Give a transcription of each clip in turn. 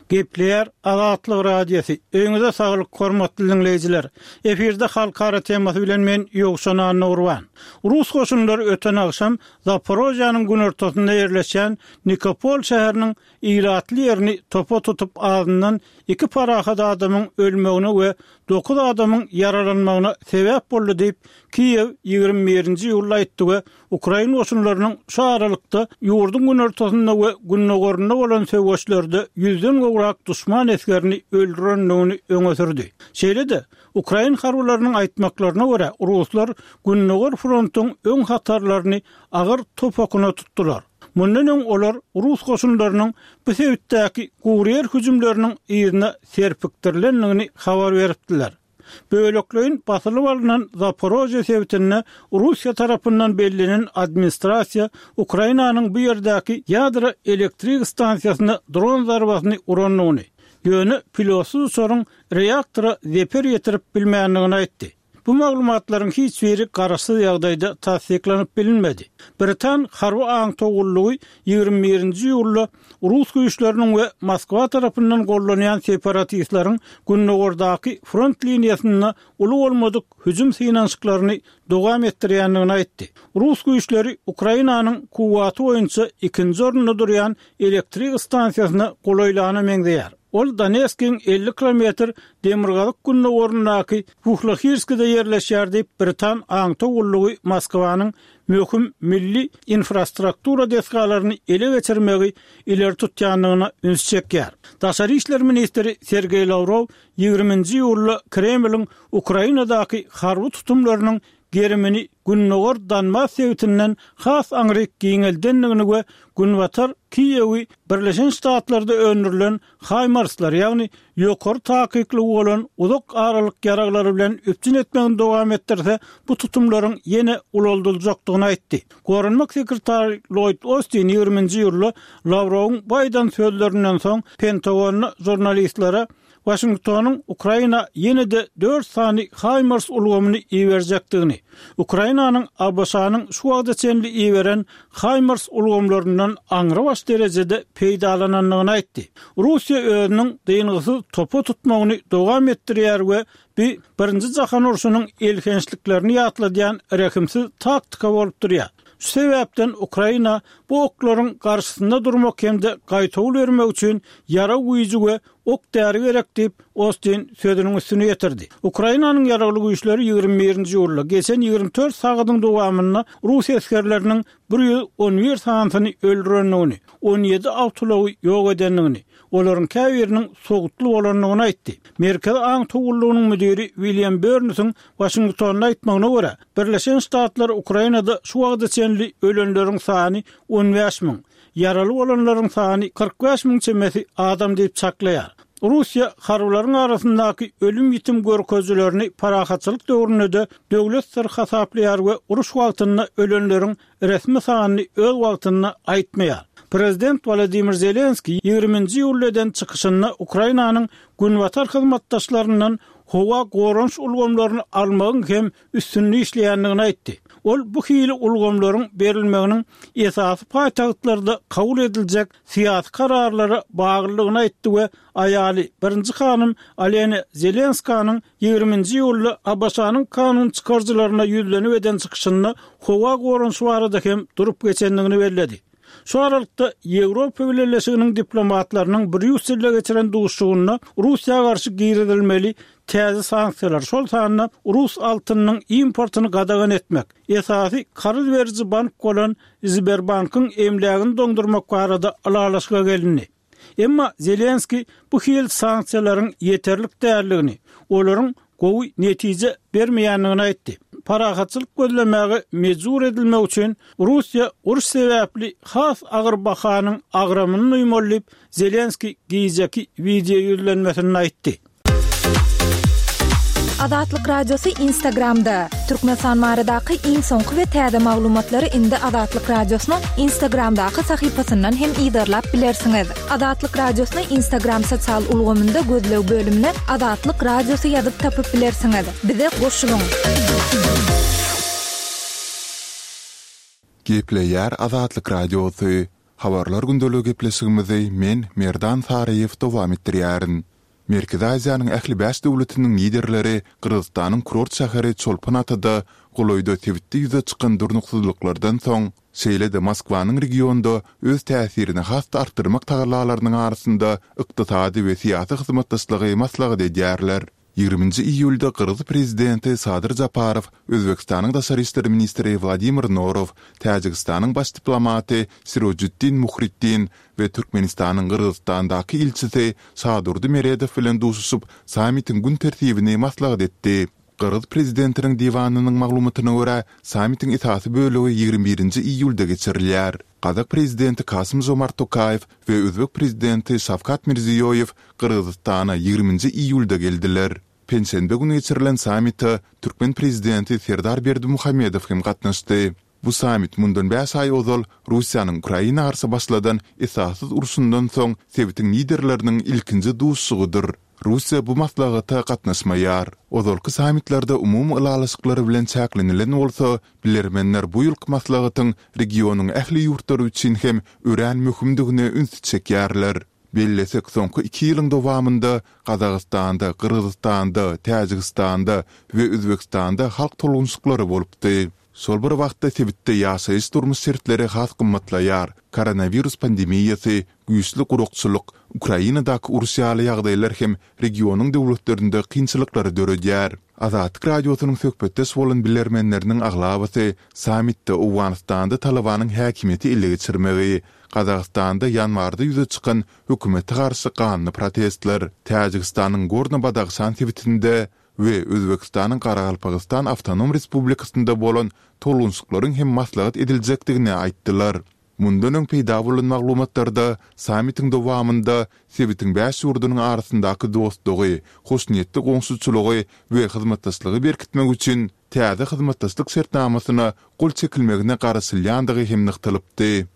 Gepleýär Azatlyk Radiosy. Öýüňize saglyk, hormatly diňleýjiler! Efirde Halkara temasy bilen men Ýowşan Annagurban. Rus goşunlary öten agşam Zaporožýanyň günortasynda ýerleşýän Nikopol şäheriniň ilatly ýerini topa tutup azyndan iki parahat adamyň ölmegine we dokuz adamyň ýaralanmagyna sebäp boldy diýip, Kiýew 21-nji iýulda aýtdy we Ukrain goşunlarynyň şu aralykda ýurduň günortasynda we gündogarynda bolan söweşlerde ýüzden gowrak duşman esgerini öldürendigini öňe sürdi. Şeýle-de, ukrain harbylarynyň aýtmaklaryna görä, ruslar Gündogar frontuň öň hatarlaryny agyr top okuna tutdular. Mundan öň olar rus goşunlarynyň bu sebitdäki guryýer hüjümleriniň yzyna serpikdirilendigini habar beripdiler. Bölekleýin basylyp alnan Zaporožýe sebitinde Russiýa tarapyndan bellenen administrasiýa Ukrainanyň bu ýerdäki ýadro elektrik stansiýasyna dron zarbasyny urandygyny, ýöne pilotsyz uçaryň reaktora zeper ýetirip bilmändigini aýtdy. Bu maglumatlaryň hiç biri garaşsyz ýagdaýda tassyklanyp bilinmedi. Britan harby aňtaw gullugy 21-nji iýulda rus güýçleriniň we Moskwa tarapyndan gollanýan separatistleriň gündogardaky front liniýasynda uly bolmadyk hüjüm synanyşyklaryny dowam etdirýändigini aýtdy. Rus güýçleri Ukrainanyň kuwwaty boýunça ikinji orunda durýan elektrik stansiýasyna golaýlana meňzeýär. Ol Donetskiň 50 kilometr demirgazyk-gündogaryndaky Wuhlohirskide ýerleşýär diýip, britan aňtaw gullugy Moskwanyň möhüm milli infrastruktura desgalaryny ele geçirmegi ileri tutýandygyna üns çekýär. Daşary işler ministri Sergeý Lawrow 20-nji iýulda Kremliň Ukrainadaky harby tutumlarynyň gerimini gündogar Donbas sebitinden has aňryk giňeldendigini we Günbatar Kiýewi Birleşen Ştatlarda öndürilen Haýmarslar, ýagny ýokary takyklygy bolan uzak aralyk ýaraglary bilen üpjün etmegini dowam etdirse, bu tutumlaryň ýene ulaldyljakdygyny aýtdy. Goranmak sekretary Lloýd Ostin 20-nji iýulda Lawrowyň bu aýdan sözlerinden soň Pentagonda žurnalistlere Waşingtonyň Ukraina ýene-de dört sany HIMARS ulgamyny iberjekdigini, Ukrainanyň ABŞ-nyň şu wagta çenli iberen HIMARS ulgamlaryndan aňrybaş derejede peýdalanandygyny aýtdy. Russiýa özüniň dyngysyz topa tutmagyny dowam etdirýär we bu Birinji jahan urşunyň elhençliklerini ýatladýan rehimsiz taktika bolup durýar. Şu sebäpden Ukraina bu oklaryň garşysynda durmak hem-de gaýtawul bermek üçin ýarag güýji we Ok-däri gerek diýip, Ostin sözüniň üstüni ýetirdi. Ukrainanyň Ýaragly Güýçleri 21-nji iýulda, geçen 24 sagadyň dowamynda rus esgerleriniň 111 sanysyny öldürendigini, 17 awtoulagy ýok edendigini, olaryň käbiriniň sowutly bolandygyny aýtdy. Merkezi aňtaw gullugynyň müdiri William Börnsiň Waşingtonda aýtmagyna görä, Birleşen Ştatlar Ukrainada şu wagta çenli ölenleriň sany 15 müň, Ýaraly bolanlaryň sany 45 müň çemesi adam diýip çaklaýar. Russiýa harbylaryň arasyndaky ölüm-ýitim görkezijilerini parahatçylyk döwründe-de döwlet syry hasaplaýar we uruş wagtynda ölenleriň resmi sanyny öz wagtynda aýtmaýar. Prezident Wolodymyr Zelenskiý 20-nji iýulda eden çykyşynda Ukrainanyň günbatar hyzmatdaşlaryndan howa goranyş ulgamlaryny almagyň hem üstünde işleýändigini aýtdy. Ol bu hili ulgamlaryň berilmeginiň esasy paýtagtlarda kabul ediljek syýasy kararlara baglydygyny aýtdy we aýaly, birinji hanym Olena Zelenskanyň 20-nji iýulda ABŞ-nyň kanun çykaryjylaryna ýüzlenip eden çykyşynda howa goranyşy barada hem durup geçendigini belledi. Şu aralykda, Ýewropa Bileleşiginiň diplomatlarynyň Brýusselde geçiren duşuşygynda Russiýa garşy girizilmeli täze sanksiýalar, şol sanda rus altynynyň importyny gadagan etmek, esasy karz beriji bank bolan Sberbankyň emlägini doňdurmak barada ylalaşyga gelindi. Emma Zelenskiý bu hili sanksiýalaryň ýeterlik däldigini, olaryň gowy netije bermeýändigini aýtdy. Parahatçylyk gözlemäge mejbur edilmek üçin Russiýa uruş sebäpli has agyr bahanyň agramyny duýmaly diýip, Zelenskiý gijeki wideo ýüzlenmesinde aýtdy. Azatlyk Radiosy Instagramda, Türkmenistan baradaky iň soňky we täze maglumatlary indi Azatlyk Radiosynyň Instagramdaky sahypasyndan hem yzarlap bilersiňiz. Azatlyk Radiosyny Instagram sosial ulgamynda gözleg bölümine Azatlyk Radiosy ýazyp tapyp bilersiňiz. Bize goşulyň! Gepleýär Azatlyk Radiosy. Habarlar gündeligi gepleşigimizi men, Merdan Saryýew dowam etdirýärin. Merkezi Aziýanyň ähli bäş döwletiniň liderleri Gyrgyzystanyň kurort şäheri Çolpon-Atada golaýda sebitde ýüze çykan durnuksyzlyklardan soň, şeýle-de Moskwanyň regionda öz täsirini has-da artdyrmak tagallalarynyň arasynda ykdysady we syýasy hyzmatdaşlygy maslahat edýärler. Ýigriminji iýulda gyrgyz prezidenti Sadyr Japarow, Özbegistanyň daşary işler ministri Wladimir Norow, Täjigistanyň baş diplomaty Sirojiddin Muhriddin we Türkmenistanyň Gyrgyzystandaky ilçisi Şadurdy Meredow bilen duşuşyp, sammitiň gün tertibini maslahat etdi. Gyrgyz prezidentiniň diwanynyň maglumatyna görä, sammitiň esasy bölegi 21 nji iýulda geçirilýär. Gazak prezidenti Kasym-Žomart Tokaýew we özbek prezidenti Şawkat Mirziýoýew Gyrgyzystana ýigriminji iýulda geldiler. Penşenbe güni geçirilen sammite türkmen prezidenti Serdar Berdimuhamedow hem gatnaşdy. Bu sammit mundan bäş aý ozal Russiýanyň Ukraina garşy başladan esassyz urşundan soň sebitiň liderleriniň ilkinji duşuşygydyr. Russiýa bu maslahata gatnaşmaýar. Ozalky sammitlerde umumy ylalaşyklar bilen çäklenilen bolsa, bilermenler bu ýylky maslahatyň regionyň ähli ýurtlary üçin hem örän möhümdigine ünsi çekýärler. Bellesek, soňky iki ýylyň dowamynda Gazagystanda, Gyrgyzystanda, Täjigistanda we Özbegistanda halk tolgunyşyklary bolupdy. Şol bir wagtda sebitde ýaşaýyş-durmuş şertleri has gymmatlaýar, koronawirus pandemiýasy, güýçli gurakçylyk, Ukrainadaky uruş ýaly ýagdaýlar hem regionyň döwletlerinde kynçylyklary döredýär. Azatlyk Radiosynyň söhbetdeş bolan bilermenleriniň aglabasy sammitde Owganystanda Talybanyň häkimiýeti ele geçirmegi, Gazagystanda ýanwarda ýüze çykan hökümete garşy ganly protestler, Täjigistanyň Gorno-Badahşan sebitinde we Özbegistanyň Garagalpagystan Awtonom Respublikasynda bolan tolgunşyklaryň hem maslahat ediljekdigini aýtdylar. Mundan öň peýda bolan maglumatlarda sammitiň dowamynda sebitiň bäş ýurdunyň arasyndaky dostlugy, hoşniýetli goňşuçylygy we hyzmatdaşlygy berkitmek üçin täze hyzmatdaşlyk şertnamasyna gol çekilmegine garaşylýandygy hem nygtalypdy.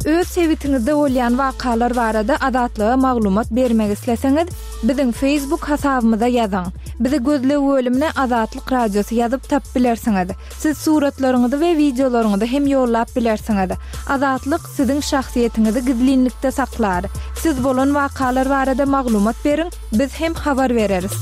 Öz sebitiňizde bolýan wakalar barada Azatlyga maglumat bermek isleseňiz, biziň Facebook hasabymyza ýazyň. Bizi gözleg bölümine Azatlyk Radiosy ýazyp tapyp bilersiňiz. Siz suratlaryňyzy we wideolaryňyzy hem ýollap bilersiňiz. Azatlyk siziň şahsyýetiňizi gizlinlikde saklar. Siz bolan wakalar barada maglumat beriň, biz hem habar bereris.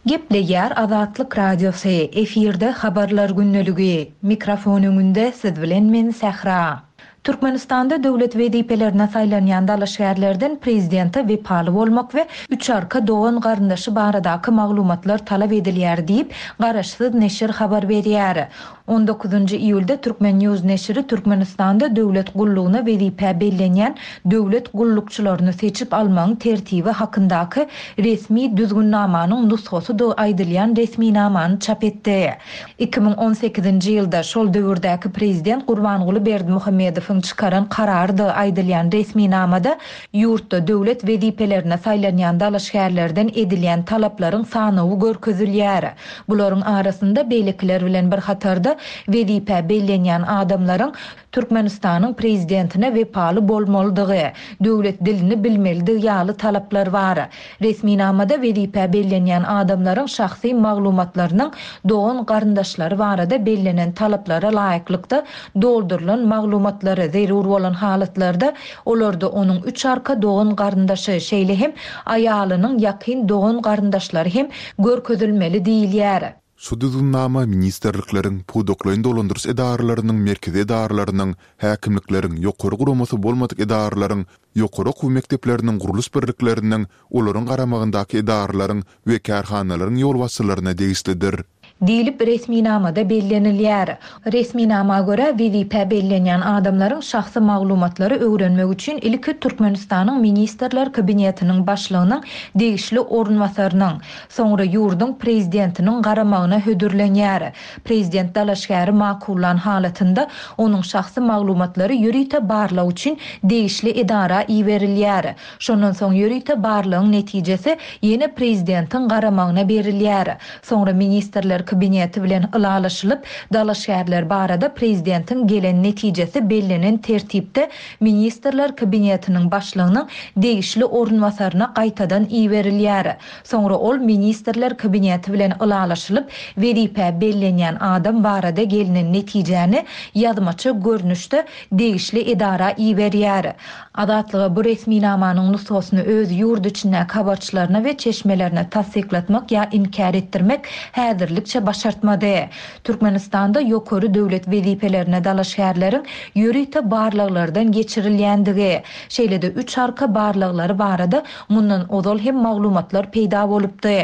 Gepleýär Azatlyk Radiosy, efirde Habarlar gündeligi. Mikrofon öňünde siz bilen men Sähra. Türkmenistanda döwlet wezipelerine saýlanýan dalaşgärlerden prezidente wepaly bolmak we üç arka dogan-garyndaşy baradaky maglumatlar talap edilýär diýip, garaşsyz neşir habar berýär. On dokuzynjy iýulda Turkmen. News neşiri Türkmenistanda döwlet gullugyna wezipä bellenýän döwlet gullukçylaryny seçip almagyň tertibi hakyndaky resmi düzgünnamanyň nusgasydygy aýdylýan resminamany çap etdi. 2018-nji ýylda şol döwürdäki prezident Gurbanguly Berdimuhamedowyň çykaran kararydygy aýdylýan resminamada ýurtda döwlet wezipelerine saýlanýan dalaşgärlerden edilýän talaplaryň sanawy görkezilýär. Bularyň arasynda beýlekiler bilen bir hatarda wezipä bellenýän adamlaryň Türkmenistanyň Prezidentine wepaly bolmalydygy, döwlet dilini bilmelidigi ýaly talaplar bar. Resminamada wezipä bellenýän adamlaryň şahsy maglumatlarynyň dogan-garyndaşlary barada bellenen talaplara laýyklykda doldurylan maglumatlary, zerur bolan halatlarda olarda onuň üç arka dogan-garyndaşy, şeýle hem aýalynyň ýakyn dogan-garyndaşlary hem görkezilmeli diýilýär. Şu düzgünnama ministrlikleriň, pudaklaýyn dolandyryş edaralarynyň merkezi edaralarynyň, häkimlikleriň, ýokary guramasy bolmadyk edaralaryň, ýokary okuw mekdepleriniň gurluş birlikleriniň, olaryň garamagyndaky edaralaryň we kärhanalaryň ýolbaşçylaryna degişlidir. Diýlip, resminamada bellenilýär. Resminama görä, wezipä bellenýän adamlaryň şahsy maglumatlary öwrenmek üçin ilki Türkmenistanyň Ministrler Kabinetiniň Başlygynyň degişli orunbasarynyň, soňra ýurduň Prezidentiniň garamagyna hödürlenýär. Prezident dalaşgäri makullan halatynda, onuň şahsy maglumatlary ýörite barlag üçin degişli edara iberilýär. Şondan soň ýörite barlagyň netijesi ýene prezidentiň garamagyna berilýär. Soňra Ministrler. Ministrler Kabineti bilen ylalaşylyp, dalaşgärler barada Prezidentiň gelen netijesi bellenen tertipde Ministrler Kabinetiniň Başlygynyň degişli orunbasaryna gaýtadan iberilýär. Soňra ol Ministrler Kabineti bilen ylalaşylyp, wezipä bellenýän adam barada gelnen netijäni ýazmaça görnüşde degişli edara iberýär. Azatlyga bu resminamanyň nusgasyny öz ýurt içindäki habarçylaryna we çeşmelerine tassyklatmak ýa inkär etdirmek häzirlikçe başartmady. Türkmenistanda ýokary döwlet wezipelerine dalaşgärleriň ýörite barlaglardan geçirilýändigi, şeýle-de üç arka barlaglary barada mundan ozal hem maglumatlar peýda bolupdy.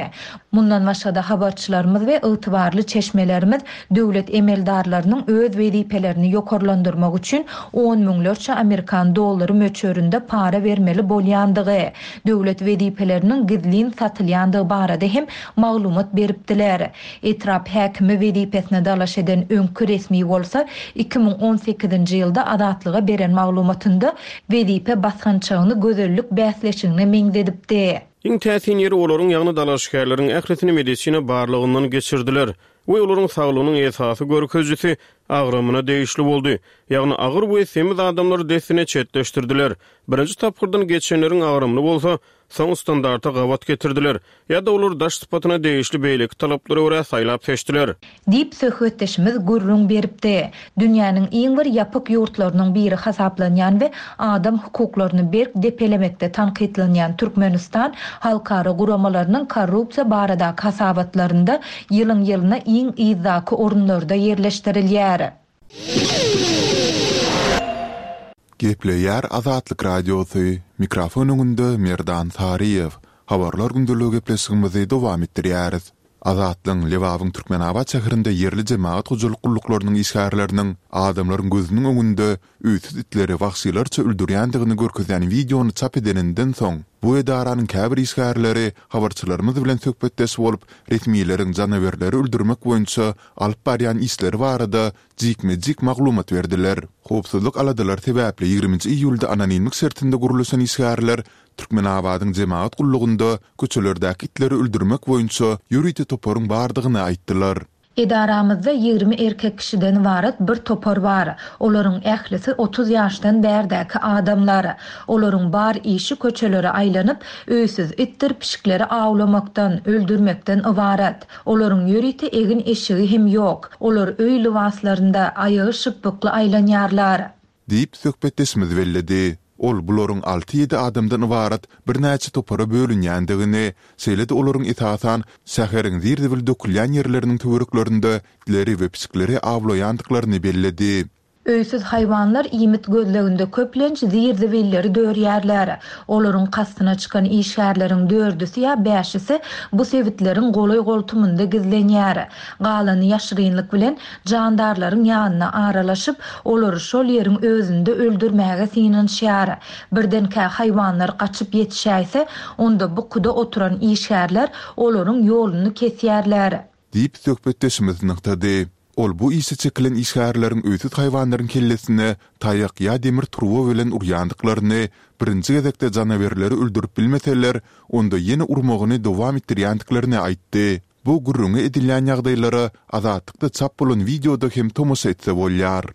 Mundan başga-da habarçylarymyz we ygtybarly çeşmelerimiz döwlet emeldarlarynyň öz wezipelerini ýokarlandyrmak üçin on müňlerçe amerikan dollary möçberinde para bermeli bolýandygy, döwlet wezipeleriniň gizlin satylýandygy barada hem maglumat beripdiler. Etrap häkimi wezipesine dalaş eden öňki resmi bolsa 2018-nji ýylda Azatlyga beren maglumatynda wezipe basgançagyny gözellik bäsleşigine meňzedipdi. Iň täsin ýeri olaryň, ýagny dalaşgärleriň ählisini medisina barlagyndan geçirdiler we olaryň saglygynyň esasy görkezijisi agramyna degişli boldy. Ýagny agyr we semiz adamlary dessine çetleşdirdiler. Birinji tapgyrdan geçenleriň agramyny bolsa soň standarta gabat getirdiler ýa-da olary daş sypatyna degişli beýleki talaplara görä saýlap-seçdiler. Diýip, söhbetdeşimiz gürrüň beripdi. Dünýäniň iň bir ýapyk ýurtlarynyň biri hasaplanýan we adam hukuklaryny berk depelemekde tankytlanýan Türkmenistan halkara guramalarynyň korrupsiýa baradaky hasabatlarynda ýylyň-ýylyna iň yzdaky orunlarda ýerleşdirilýär. Gepleýär Azatlyk Radiosy, mikrofon öňünde Merdan Saryýew. Habarlar gündeligi gepleşigimizi dowam etdirýäris. Azatlygyň Lebabyň Türkmenabat şäherinde ýerli jemagat hojalyk gulluklarynyň işgärleriniň adamlaryň gözüniň öňünde öýsüz itleri wagşylarça öldürýändigini görkezýän wideony çap edeninden soň, bu edaranyň käbir işgärleri habarçylarymyz bilen söhbetdeş bolup, resmileriň janawerleri öldürmek boýunça alyp barýan işleri barada jikme-jik maglumat berdiler. Howpsuzlyk aladalary sebäpli ýigriminji iýulda anonimlik şertinde gürleşen işgärler Türkmenabadyň jemagat gullugynda köçelerdäki itleri öldürmek boýunça ýörite toparyň bardygyny aýtdylar. Edaramyzda 20 erkek kişiden ybarat bir topar bar. Olaryň ählisi 30 ýaşdan bärdäki adamlar. Olaryň bar işi köçelere aýlanyp, öýsüz itdir pişikleri awlamakdan, öldürmekden ybarat. Olaryň ýörite egin-eşigi hem ýok. Olar öý lybaslarynda, aýagy şypbykly aýlanýarlar. Diýip, söhbetdeşimiz belledi. Ol bularyň alty-ýedi adamdan ybarat birnäçe topara bölünýändigini, şeýle-de olaryň esasan şäheriň zir-zibil dökülýän ýerleriniň töwereklerinde itleri we pişikleri awlaýandyklaryny belledi. Öýsüz haýwanlar iýmit gözleginde köplenç zir-zibilleri dörýärler. Olaryň kastyna çykan işgärleriň dördüsi ýa bäşisi bu sebitleriň golaý-goltumynda gizlenýär. Galany ýaşyrynlyk bilen jandarlaryň ýanyna aralaşyp, olary şol ýeriň özünde öldürmäge synanyşýar. Birdenkä haýwanlar gaçyp ýetişäýse, onda bukuda oturan işgärler olaryň ýoluny kesýärler. Diýip, söhbetdeşimiz nygtady. Ol bu işe çekilen işgärleriň öýsüz haýwanlaryň kellesine taýak ýa demir turba bilen urýandyklaryny, birinji gezekde janawerleri öldürip bilmeseler, onda ýene urmagyny dowam etdirýändiklerini aýtdy. Bu gürrüňi edilýän ýagdaýlara Azatlykda çap bolan wideoda hem tomaşa etse bolýar.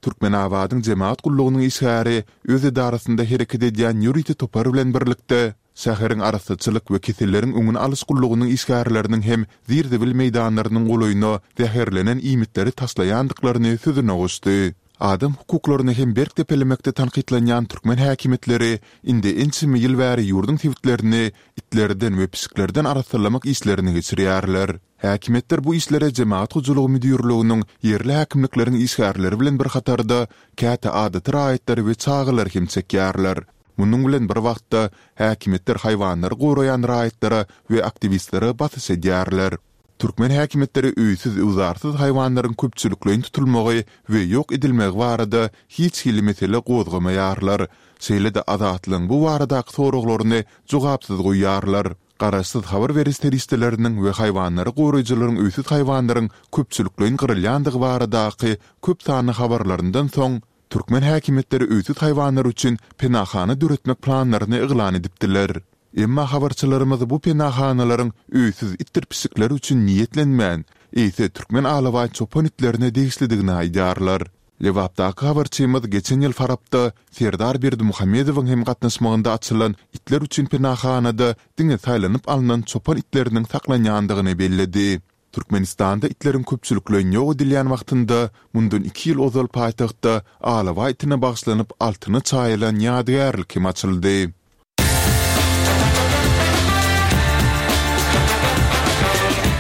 Türkmenabadyň jemagat gullugynyň işgäri öz edarasynda hereket edýän ýörite topar bilen birlikde, şäheriň arassaçylyk we keselleriň öňüni alyş gullugynyň işgärleriniň hem zir-zibil meýdanlarynyň golaýyna zäherlenen iýmitleri taşlaýandyklaryny sözüne goşdy. Adam hukuklaryny hem berk depelemekde tankytlanýan türkmen häkimiýetleri indi ençeme ýyl bäri ýurduň sebitlerini itlerden we pişiklerden arassalamak işlerini geçirýärler. Häkimiýetler bu işlere Jemagat hojalygy müdirliginiň, ýerli häkimlikleriň işgärleri bilen bir hatarda, käte adaty raýatlary we çagalary hem çekýärler. Munuň bilen bir wagtda, häkimiýetler haýwanlary goraýan raýatlara we aktiwistlere basyş edýärler. Türkmen häkimiýetleri öýsüz-öwzarsyz haýwanlaryň köpçülikleýin tutulmagy we ýok edilmegi barada hiç hili mesele gozgamaýarlar, şeýle-de Azatlygyň bu baradaky soraglaryny jogapsyz goýýarlar. Garaşsyz habar beriş serişdeleriniň we haýwanlary goraýjylaryň öýsüz haýwanlaryň köpçülikleýin gyrylýandygy baradaky köp sanly habarlaryndan soň, türkmen häkimiýetleri öýsüz haýwanlar üçin penahana döretmek planlaryny yglan edipdiler. Emma habarçylarymyz bu penahanalaryň öýsüz itdir pişikler üçin niýetlenmän, eýse türkmen alabaý çopan itlerine degişlidigini aýdýarlar. Lebapdaky habarçymyz geçen ýyl Farapda Serdar Berdimuhamedowyň hem gatnaşmagynda açylan itler üçin penahanada diňe saýlanyp alnan çopan itleriniň saklanýandygyny belledi. Türkmenistanda itleriň köpçülikleýin ýok edilýän wagtynda, mundan iki ýyl ozal paýtagtda alabaý itine bagyşlanyp altyna çaýylan ýadygärlik hem açyldy.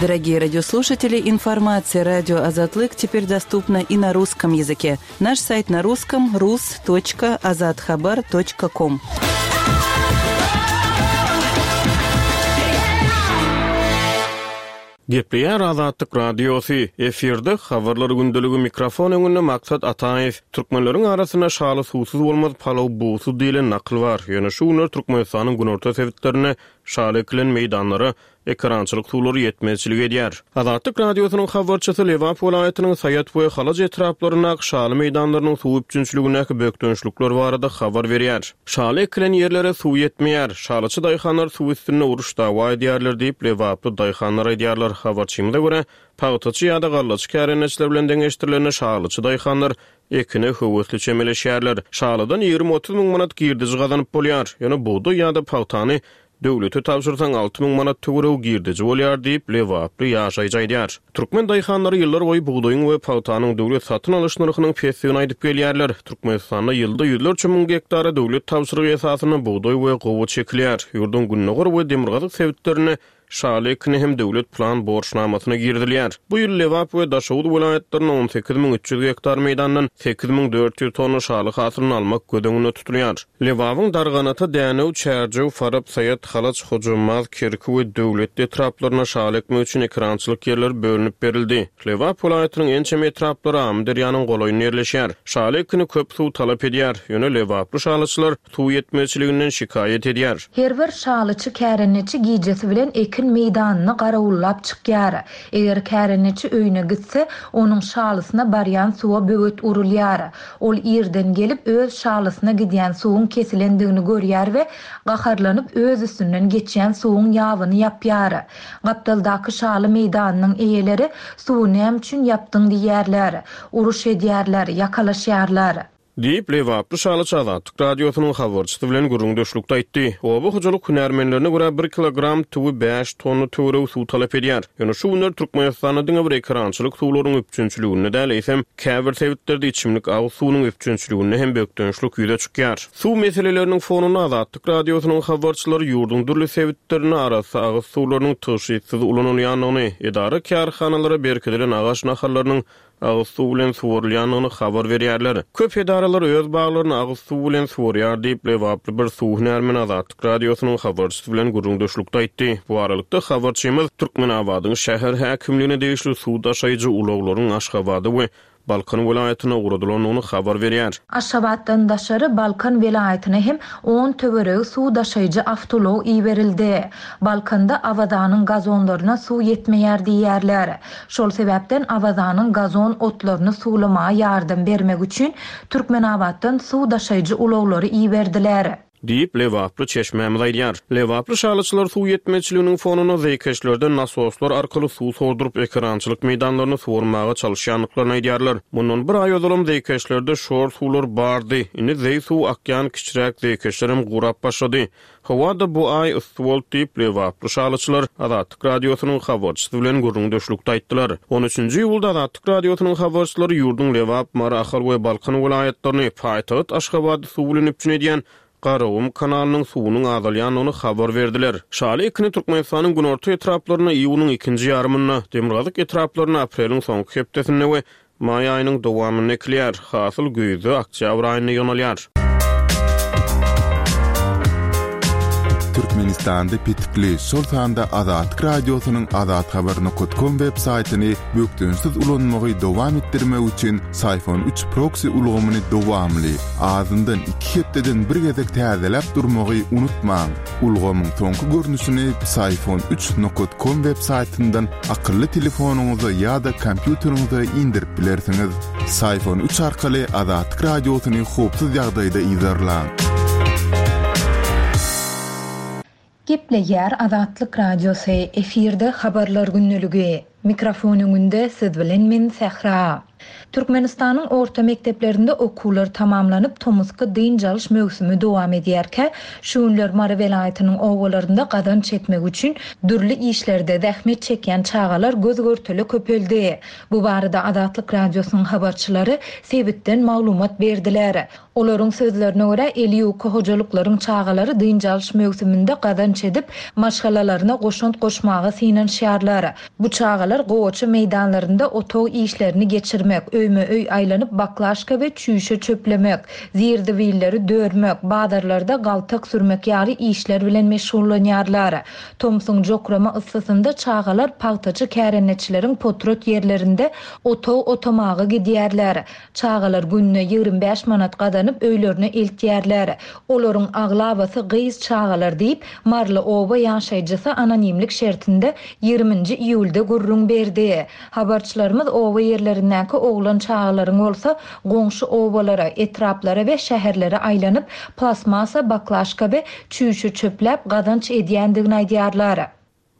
Дорогие радиослушатели, информация радио Азатлык теперь доступна и на русском языке. Наш сайт на русском rus.azathabar.com. Gepleýär Azatlyk Radiosy, efirde Habarlar gündeligi mikrofon öňünde Maksat Ataýew. Türkmenleriň arasynda Şaly suwsuz bolmaz, palaw bugsuz diýlen nakyl bar. Ýöne şu günler Türkmenistanyň günorta sebitlerinde şaly ekilen meýdanlara ekerançylyk suwlary ýetmezçilik edýär. Azatlyk Radiosynyň habarçysy Lebap welaýatynyň Saýat we Halaç etraplaryndaky şaly meýdanlarynyň suw üpjünçiligindäki bökdençlikler barada habar berýär. Şaly ekilen ýerlere suw ýetmeýär. Şalyçy daýhanlar suw üstünde uruş-dawa edýärler diýip, lebaply daýhanlar aýdýarlar. Habarçymyza görä, pagtaçy ýa-da gallaçy kärendeçiler bilen deňeşdirilende şalyçy daýhanlar ekine höwesli çemeleşýärler. Şalydan 20-30 müň manat girdeji gazanyp bolýar. Ýöne bugdaý ýa-da pagtany Döwlete tabşyrsaň 6000 manat töweregi girdeji bolýar diýip, lebaply ýaşaýjy aýdýar. Türkmen daýhanlary ýyllarboýy bugdaýyň we pagtanyň döwlet satyn alyş nyrhynyň pesdigini aýdyp gelýärler. Türkmenistanda ýylda ýüzlerçe müň gektara döwlet tabşyrygy esasynda bugdaý we gowaça ekilýär. Ýurduň gündogar we demirgazyk sebitlerinde şaly ekini hem döwlet plan borçnamasyna girizilýär. Bu ýyl Lebap we Daşoguz welaýatlarynda 18 300 gektar meýdandan 8400 tonna şaly hasylyny almak göz öňünde tutulýar. Lebabyň Darganata, Dänew, Çärjew, Farap, Saýat, Halaç, Hojambaz, Kerki we Döwletli etraplaryna şaly ekmek üçin ekerançylyk ýerleri bölünip berildi. Lebap welaýatynyň ençeme etraplary Amyderýanyň golaýynda ýerleşýär. Şaly ekini köp suw talap edýär. Ýöne lebaply şalyçylar suw ýetmezçiliginden şikaýat edýär. Her bir şalyçy kärendeçi gijesi bilen ekin meýdanyny garawullap çykýar. Eger kärendeçi öýüne gitse, onuň şalysyna barýan suwa böwet urulýar. Ol irden gelip, öz şalysyna gidýän suwuň kesilendigini görýär we gaharlanyp öz üstünden geçýän suwuň ýabyny ýapýar. Gapdaldaky şaly meýdanynyň eýeleri suwy näme üçin ýapdyň diýýärler. Uruş edýärler, ýakalaşýarlar. Diýip, lebaply şalyçy Azatlyk Radiosynyň habarçysy bilen gürrüňdeşlikde aýtdy. Oba hojalyk hünärmenlerine görä, bir kilogram tüwi bäş tonna töweregi suw talap edýär. Ýöne şu günler Türkmenistanda diňe bir ekerançylyk suwlarynyň üpjünçiliginde däl, eýsem, käbir sebitlerde içimlik agyz suwunyň üpjünçiliginde hem bökdençlik ýüze çykýar. Suw meseleleriniň fonunda Azatlyk Radiosynyň habarçylary ýurduň dürli sebitlerinde arassa agyz suwlarynyň tygşytsyz ulanylýandygyny, edara-kärhanalara berkidilen agaç nahallarynyň agyz suw bilen suwarylýandygyny habar berýärler. Köp edaralar öz baglaryny agyz suw bilen suwarýar diýip, lebaply bir suw hünärmeni Azatlyk Radiosynyň habarçysy bilen gürrüňdeşlikde aýtdy. Bu aralykda, habarçymyz Türkmenabadyň şäher häkimligine degişli suw daşaýjy ulaglaryň Aşgabada we Balkan welaýatyna ugradylandygyny habar berýär. Aşgabatdan daşary Balkan welaýatyna hem on töweregi suw daşaýjy awtoulag iberildi. Balkanda Awazanyň gazonlaryna suw ýetmeýär diýýärler. Şol sebäpden Awazanyň gazon otlaryny suwlamaga ýardam bermek üçin Türkmenabatdan suw daşaýjy ulaglary iberdiler. Diýip, lebaply çeşmämiz aýdýar. Lebaply şalyçylar suw ýetmezçiliginiň fonunda zeýkeşlerden nasoslar arkaly suw sorduryp, ekerançylyk meýdanlaryny suwarmaga çalyşýandyklaryny aýdýarlar. Mundan bir aý ozalam zeýkeşlerde şor suwlar bardy. Indi zeý suw akýan kiçiräk zeýkeşlerem gurap başlady. Howa-da bu aý yssy boldy diýip, lebaply şalyçylar Azatlyk Radiosynyň habarçysy bilen gürrüňdeşlikde aýtdylar. On üçünji iýulda Azatlyk Radiosynyň habarçylary ýurduň Lebap, Mary, Ahal we Balkan welaýatlaryny, paýtagt Aşgabady suw bilen üpjün edýän Garagum kanalynyň suwunyň azalýandygyny habar berdiler. Şaly ekini Türkmenistanyň günorta etraplarynda iýunyň ikinji ýarymynda, demirgazyk etraplarynda apreliň soňky hepdesinde we Maý aýynyň dowamynda ekilýär. Hasyl güýzde, oktýabr aýynda ýygnalýar. Türkmenistanda petikli, şol sanda Azatlyk Radiosynyň azathabar nokat kom web saýtyny bökdençsiz ulanmagy dowam etdirmek üçin Syfon üç proksi ulgamyny dowamly, azyndan iki hepdeden bir gezek täzeläp durmagy unutmaň. Ulgamyň soňky görnüşini Psiphon üç nokat kom web saýtyndan akylly telefonyňyza ýa-da kompýuteriňize indirip bilersiňiz. Psiphon üç arkaly Azatlyk Radiosyny howpsuz ýagdaýda yzarlaň. Gepleýär Azatlyk Radiosy, efirde Habarlar gündeligi. Mikrofon öňünde siz bilen men Sähra. Türkmenistanyň orta mekdeplerinde okuwlar tamamlanyp, tomusky dynç alyş möwsümi dowam edýärkä, şu günler Mary welaýatynyň obalarynda gazanç etmek üçin dürli işlerde zähmet çekýän çagalar göz-görtele köpeldi. Bu barada Azatlyk Radiosynyň habarçylary sebitden maglumat berdiler. Olaryň sözlerine görä, eli ýuka hojalyklaryň çagalary dynç alyş möwsüminde gazanç edip, maşgalalaryna goşant goşmaga synanyşýarlar. Bu çagalar gowaça meýdanlarynda otag işlerini geçirmek, öýme-öý aýlanyp baklaşka we çüýşe çöplemek, zir-zibilleri dörmek, bazarlarda galtak sürmek ýaly işler bilen meşgullanýarlar. Tomsuň jokrama yssysynda çagalar pagtaçy kärendeçileriň potrat ýerlerinde otag otamaga gidýärler. Çagalar gününe 25 manat gazanyp öýlerine eltýärler. Olaryň aglabasy gyz çagalar diýip, maryly oba ýaşaýjysy anonimlik şertinde ýigriminji iýulda gürrüň berdi. Habarçylarymyz oba ýerlerindäki oglan çagalaryň bolsa goňşy obalara, etraplara we şäherlere aýlanyp, plastmassa baklaşka we çüýşe çöpläp gazanç edýändigini aýdýarlar.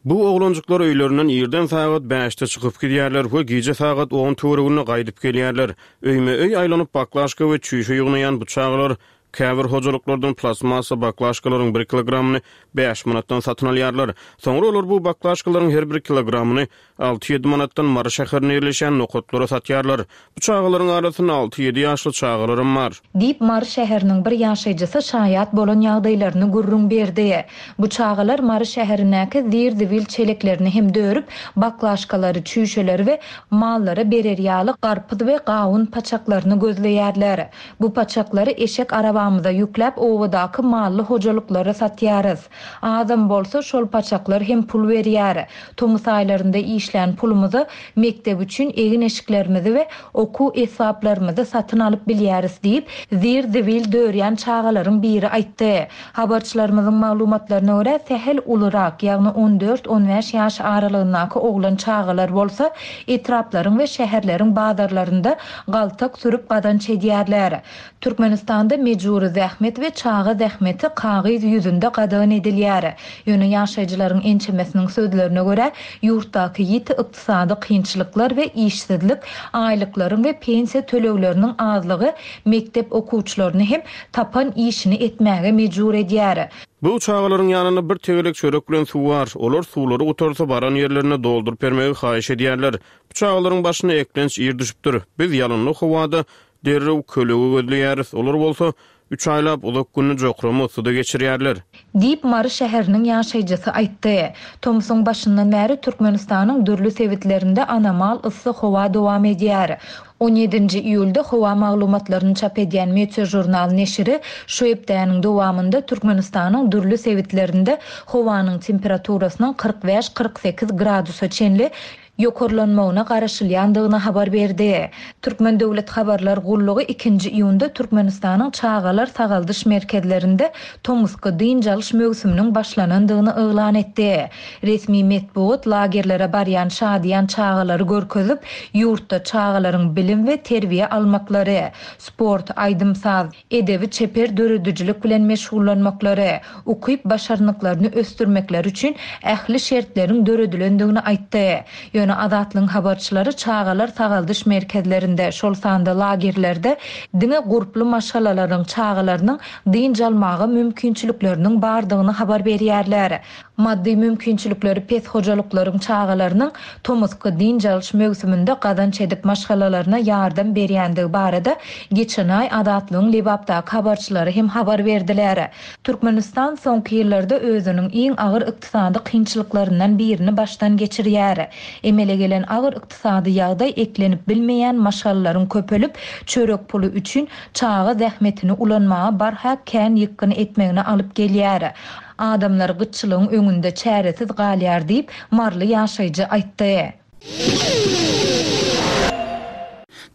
Bu oglanjyklar öýlerinden irden sagat bäşde çykyp gidýärler we gije sagat on töwereginde gaýdyp gelýärler. Öýme-öý aýlanyp baklaşka we çüýşe ýygnaýan bu çagalar käbir hojalyklardan plastmassa baklaşkalaryň bir kilogramyny bäş manatdan satyn alýarlar. Soňra olar bu baklaşkalaryň her bir kilogramyny Alty-ýedi manatdan Mary şäherinde ýerleşýän nokatlara satýarlar. Bu çagalaryň arasynda alty-ýedi ýaşly çagalaram bar. Diýip, Mary şäheriniň bir ýaşaýjysy şaýat bolan ýagdaýlaryny gürrüň berdi. Bu çagalar Mary şäherindäki zir-zibil çeleklerini hem dörüp, baklaşkalary, çüýşeleri we mallara berer ýaly garpyz we gawun paçaklaryny gözleýärler. Bu paçaklary eşek arabamyza ýükläp, obadaky mally hojalyklara satýarys. Azam bolsa, şol paçaklar hem pul berýär. Tomus aýlarynda işlän pulumyza mekdep üçin egin-eşiklerimizi we okuw esbaplarymyzy satyn alyp bilýäris diýip, zir-zibil dörýän çagalaryň biri aýtdy. Habarçylarymyzyň maglumatlaryna görä, sähel ulurak, ýagny on dört-on bäş ýaş aralygyndaky oglan çagalar bolsa, etraplaryň we şäherleriň bazarlarynda galtak sürüp gazanç edýärler. Türkmenistanda mejbury zähmet we çaga zähmeti kagyz ýüzünde gadagan edilýär. Ýöne ýaşaýjylaryň ençemesiniň sözlerine görä, ýurtdaky ýiti ykdysady kynçylyklar we işsizlik, aýlyklaryň we pensiýa tölegleriniň azlygy mekdep okuwçylaryny hem tapan işini etmäge mejbur edýär. Bu çagalaryň ýanynda bir tegelek çörek bilen suw bar. Olar suwlary gutarsa baran ýerlerinde dolduryp bermegi haýyş edýärler. Bu çagalaryň başyna eklenç ir düşüpdir. Biz ýalynly howada Derrew kölege gözleýäris, olar bolsa üç aýlap uzak gününi jokrama yssyda geçirýärler. Diýip, Mary şäheriniň ýaşaýjysy aýtdy. Tomsuň başyndan bäri Türkmenistanyň dürli sebitlerinde anomal yssy howa dowam edýär. On ýedinji iýulda howa maglumatlaryny çap edýän Meteožurnal neşiri şu hepdäniň dowamynda Türkmenistanyň dürli sebitlerinde howanyň temperaturasynyň 45, 48 gradusa çenli ýokarlanmagyna garaşylýandygyny habar berdi. Türkmen döwlet habarlar gullugy ikinji iýunda Türkmenistanyň çagalar sagaldyş merkezlerinde tomusky dynç alyş möwsüminiň başlanandygyny yglan etdi. Resmi metbugat lagerlere barýan şadyýan çagalary görkezip, ýurtda çagalaryň bilim we terbiýe almaklary, sport, aýdym-saz, edebi-çeper döredijilik bilen meşgullanmaklary, ukyp-başarnyklaryny ösdürmekleri üçin ähli şertleriň döredilendigini aýtdy. Ýöne Azatlygyň habarçylary çagalar sagaldyş merkezlerinde, şol sanda lagerlerde diňe gurply maşgalalaryň çagalarynyň dynç almaga mümkinçilikleriniň bardygyny habar berýärler. Maddy mümkinçilikleri pes hojalyklaryň çagalarynyň tomusky dynç alyş möwsüminde gazanç edip maşgalalaryna ýardam berýändigi barada geçen aý Azatlygyň Lebapdaky habarçylary hem habar berdiler. Türkmenistan soňky ýyllarda özüniň iň agyr ykdysady kynçylyklaryndan birini başdan geçirýär. Emele gelen agyr ykdysady ýagdaý eklenip bilmeýän maşgalalaryň köpelip, çörek puly üçin çaga zähmetini ulanmaga barha kän ýykgyn etmegine alyp gelýär. Adamlar gytçylygyň öňünde çäresiz galýar diýip, maryly ýaşaýjy aýtdy.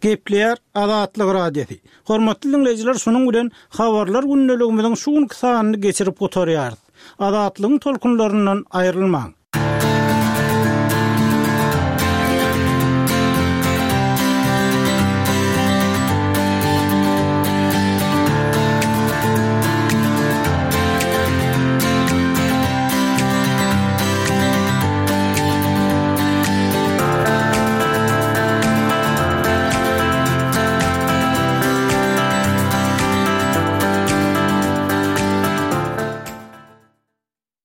Gepleýär Azatlyk Radiosy. Hormatly diňleýjiler şunuň bilen Habarlar gündeligimiziň şu günki sanyny geçirip gutarýarys. Azatlygyň tolkunlaryndan aýrylmaň.